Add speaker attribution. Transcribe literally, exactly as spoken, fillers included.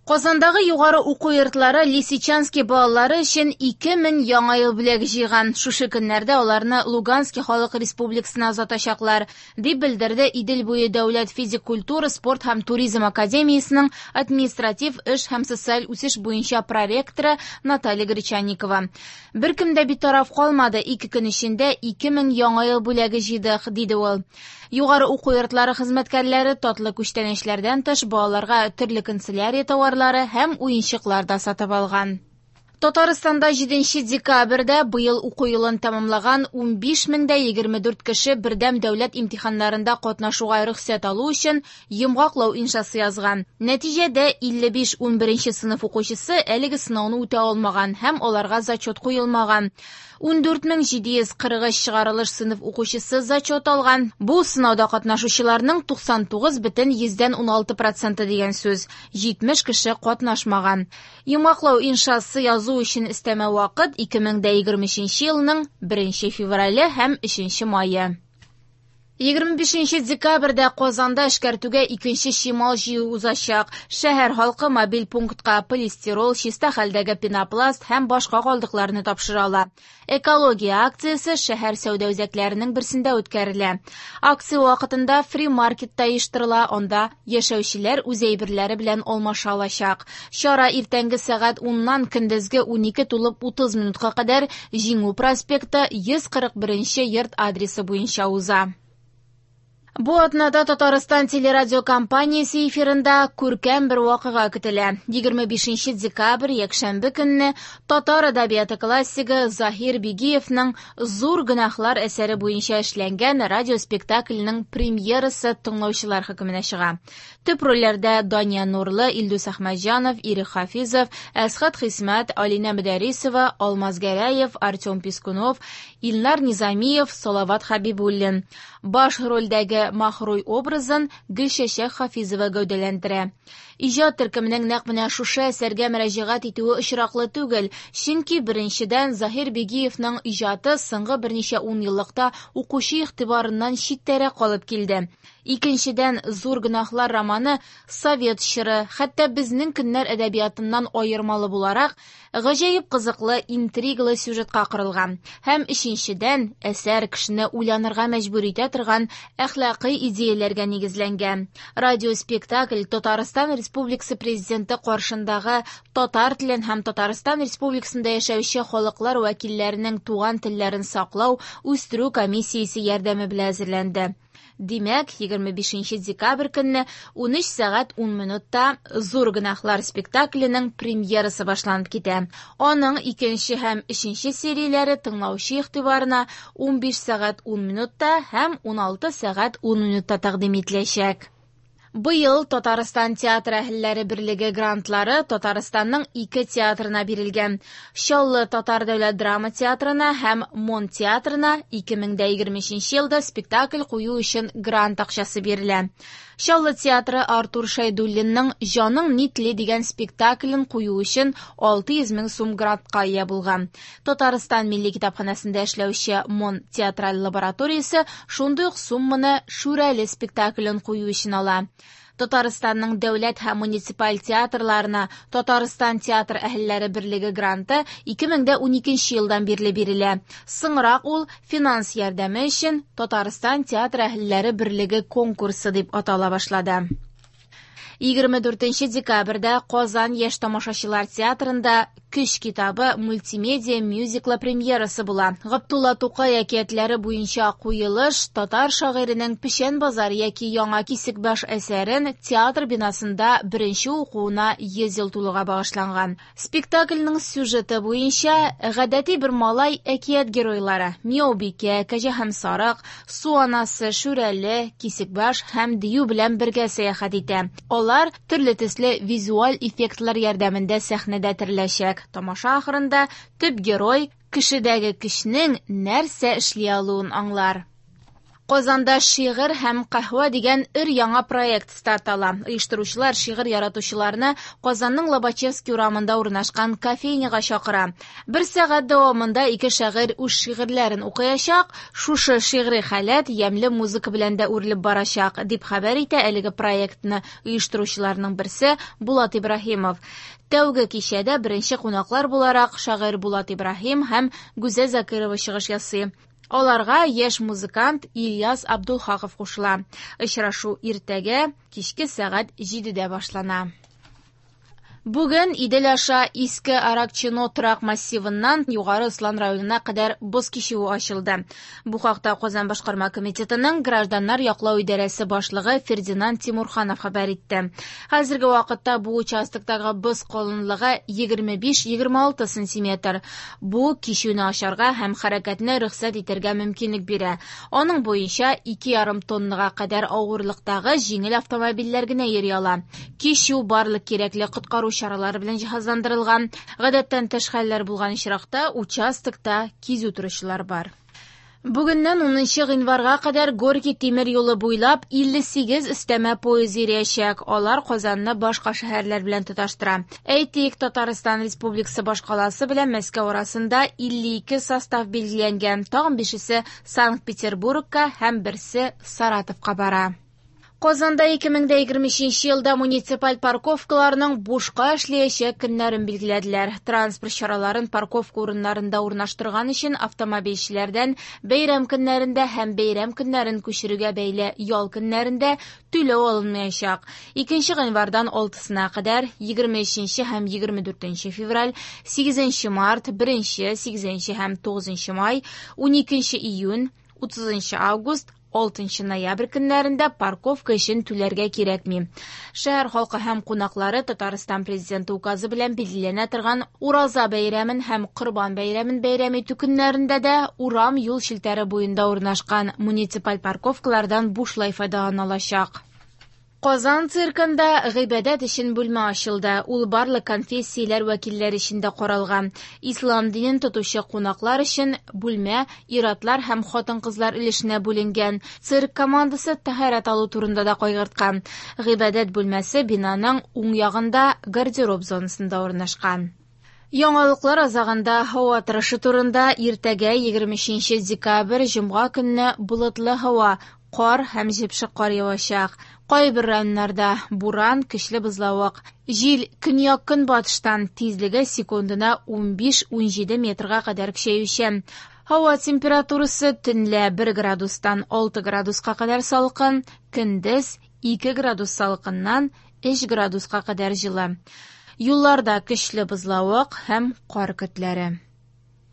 Speaker 1: Казандагы югары уку йортлары Лисичански балалары өчен ике мең яңа ел бүләге җыйган. Шушы көннәрдә аларны Лугански халык республикасына озатачаклар, дип белдерде Идел буе дәүләт физик культура, спорт һәм туризм академиясенең административ эш һәм социаль үсеш буенча проректоры Наталья Гречанникова. Беркем дә битараф калмады, ике көн эчендә ике мең яңа ел бүләге җыйдык, диде ул. Югары уку йортлары хезмәткәрләре татлы күчтәнәчләрдән тыш балаларга төрле канцелярия товарлары һәм уенчыклар да сатып алган. Татарстанда җиденче декабрьдә быел уку елын тәмамлаган унбиш мең дә егерме дүрт кеше бердәм дәүләт имтиханнарында катнашуга рөхсәт алу өчен йомгаклау иншасы язган. Нәтиҗәдә илле биш унберенче сыйныф укучысы әлеге сынауны үтә алмаган һәм аларга зачет куелмаган. Ундүрт мең җиде йөз кырык өч чыгарылыш сыйныф укучысы зачет алган. Бу сынауда катнашучыларның туксан тугыз бөтен йөздән уналты проценты дигән сүз. Җитмеш кеше катнашмаган. Йомгаклау иншасы язу өчен өстәмә вакыт ике мең дә егерме өченче елның беренче феврале һәм өченче мае. Егерме бишенче декабрьдә Казанда эшкәртүгә икенче чимал җыю узачак. Шәһәр халкы мобиль пунктка полистирол, чиста хәлдәге пенопласт һәм башка калдыкларны тапшыра ала. Экология акциясе шәһәр сәүдә үзәкләренең берсендә үткәрелә. Акция вакытында фри-маркет та оештырыла, анда яшәүчеләр үз әйберләре белән алмаша алачак. Чара иртәнге сәгать уннан көндезге унике тулып утыз минутка кадәр Җиңү проспекты йөз кырык беренче йорт адресы буенча уза. Бу атнада Татарстан телерадиокомпаниясе эфирында күркәм бер вакыйга көтелә. Егерме бишенче декабрь якшәмбе көнне татар әдәбияты классигы Заһир Бигиевның Зур гөнаһлар әсәре буенча эшләнгән радиоспектакльнең премьерасы тыңлаучылар хөкеменә чыга. Төп рольләрдә Дания Нурлы, Илдус Әхмәтҗанов, Ирек Хафизов, Әсхәт Хисмәт, Алинә Мөдәррисова, Алмаз Гәрәев, Артем Пискунов, Илнар Низамиев, Салават Хәбибуллин. Баш рольдәге Маһруй образын Гөлчәчәк Хафизова гәүдәләндерә. Иҗат төркеменең нәкъ менә шушы әсәргә мөрәҗәгать итүе очраклы түгел, чөнки беренчедән Заһир Бигиевның иҗаты соңгы берничә ун еллыкта укучы игътибарыннан читтәрәк калып килде. Икенчедән, Зур гөнаһлар романы совет чоры, хәтта безнең көннәр әдәбиятыннан аермалы буларак, гаҗәеп кызыклы, интриглы сюжетка корылган. Һәм өченчедән, әсәр кешене уйланырга мәҗбүр итә торган әхлакый идеяләргә нигезләнгән. Радиоспектакль Татарстан Республикасы Президенты каршындагы татар телен һәм Татарстан Республикасында яшәүче халыклар вәкилләренең туган телләрен саклау, үстерү комиссиясе ярдәме белән әзерләнде. Димәк, егерме бишенче декабрь көнне унөч сәгать ун минутта Зур гөнаһлар спектакленең премьерасы башланып китә. Аның икенче һәм өченче серияләре тыңлаучы игътибарына унбиш сәгать ун минутта һәм уналты сәгать ун минутта тәкъдим ителәчәк. Быел Татарстан театр әһелләре берлеге грантлары Татарстанның ике театрына бирелгән. Чаллы Татар дәүләт драма театрына һәм Мон театрына ике мең дә егерме өченче елда спектакль кую өчен грант акчасы бирелә. Чаллы театры Артур Шәйдуллинның Җаның ни тели дигән спектаклен кую өчен алты йөз мең сум грантка ия булган. Татарстан Милли китапханәсендә эшләүче Мон театраль лабораториясе шундый ук сумманы Шүрәле спектаклен кую өчен ала. Татарстанның дәүләт һәм муниципаль театрларына Татарстан театр әһелләре берлеге гранты ике мең дә уникенче елдан бирле бирелә. Соңрак ул финанс ярдәме өчен Татарстан театр әһелләре берлеге конкурсы дип атала башлады. Егерме дүртенче декабрьдә Казан яшь тамашачылар театрында Көч китабы мультимедиа мюзиклы премьерасы була. Габдулла Тукай әкиятләре буенча куелыш татар шагыйренең Печән базар яки Яңа Кисекбаш әсәрен театр бинасында беренче укуына йөз ел тулуга багышланган. Спектакльнең сюжеты буенча гадәти бер малай әкият геройлары Мияубикә, Кәҗә һәм Сарык, Су анасы, Шүрәле, Кисекбаш һәм Дию белән бергә сәяхәт итә. Алар төрле төсле визуаль эффектлар ярдәмендә сәхнәдә тереләчәк. Тамаша ахырында төп герой кешедәге көчнең нәрсә эшли алуын аңлар. Казанда шигырь һәм каһвә дигән өр-яңа проект старт ала. Оештыручылар шигырь яратучыларны Казанның Лобачевский урамында урнашкан кофейняга чакыра. Бер сәгать дәвамында ике шагыйрь үз шигырьләрен укыячак. Шушы шигъри халәт ямьле музыка белән дә үрелеп барачак, дип хәбәр итә әлеге проектны оештыручыларның берсе Булат Ибраһимов. Тәүге кичәдә беренче кунаклар буларак шагыйрь Булат Ибраһим һәм Гүзәл Закирова чыгыш ясый. Аларга яшь музыкант Ильяс Абдулхаков кушыла. Очрашу иртәгә кичке сәгать җидедә башлана. Бүген Идел аша Иске Аракчино торак массивыннан Югары Ослан районына кадәр боз кичүе ачылды. Бу хакта Казан башкарма комитетының гражданнар яклау идарәсе башлыгы Фердинанд Тимурханов хәбәр итте. Хәзерге вакытта бу участоктагы боз калынлыгы егерме биш-егерме алты сантиметр. Бу кичүне ачарга һәм хәрәкәтне рөхсәт итәргә мөмкинлек бирә. Аның буенча ике ярым тоннага кадәр авырлыктагы җиңел автомобильләр генә йөри ала. Кичү барлык кирәкле коткару чаралары белән җиһазландырылган. Гадәттән тыш хәлләр булган очракта участокта кизү торучылар бар. Бүгеннән унынчы гыйнварга кадәр Горький тимер юлы буйлап илле сигез өстәмә поезд йөриячәк. Алар Казанны башка шәһәрләр белән тоташтыра. Әйтик, Татарстан Республикасы башкаласы белән Мәскәү арасында илле ике состав билгеләнгән. Тагын бишесе Санкт-Петербургка һәм берсе Саратовка бара. Казанда ике мең дә егерме өченче елда муниципаль парковкаларның бушка эшләячәк көннәрен билгеләделәр. Транспорт чараларын парковка урыннарында урнаштырган өчен автомобильчеләрдән бәйрәм көннәрендә һәм бәйрәм көннәрен күчерүгә бәйле ял көннәрендә түләү алынмаячак. Икенче гыйнвардан алтысына кадәр, егерме өченче һәм егерме дүртенче февраль, сигезенче март, беренче, сигезенче һәм тугызынчы май, уникенче июнь, утызынчы август, алтынчы ноябрь көннәрендә парковка өчен түләргә кирәкми. Шәһәр халкы һәм кунаклары Татарстан президенты указы белән билгеләнә торган Ураза бәйрәмен һәм Корбан бәйрәмен бәйрәм итү көннәрендә дә урам юл челтәре буенда урнашкан муниципаль парковкалардан бушлай файдалана алачак. Казан циркында гыйбадәт өчен бүлмә ачылды. Ул барлык конфессияләр вәкилләре өчен дә каралган. Ислам динен тотучы кунаклар өчен бүлмә ир-атлар һәм хатын-кызлар өлешенә бүленгән. Цирк командасы тәһарәт алу турында да кайгырткан. Гыйбадәт бүлмәсе бинаның уң ягында гардероб зонасында урнашкан. Яңалыклар азагында һава торышы турында. Иртәгә егерме өченче декабрь җомга көнне болытлы һава, кар һәм җепшек кар явачак. Кайбер районнарда буран, көчле бозлавык. Җил көньяк-көнбатыштан, тизлеге секундына унбиш-унҗиде метрга кадәр көчәючән. Һава температурасы төнлә бер градустан алты градуска кадәр салкын, көндез ике градус салкыннан өч градуска кадәр җылы. Юлларда көчле бозлавык һәм кар көтләре.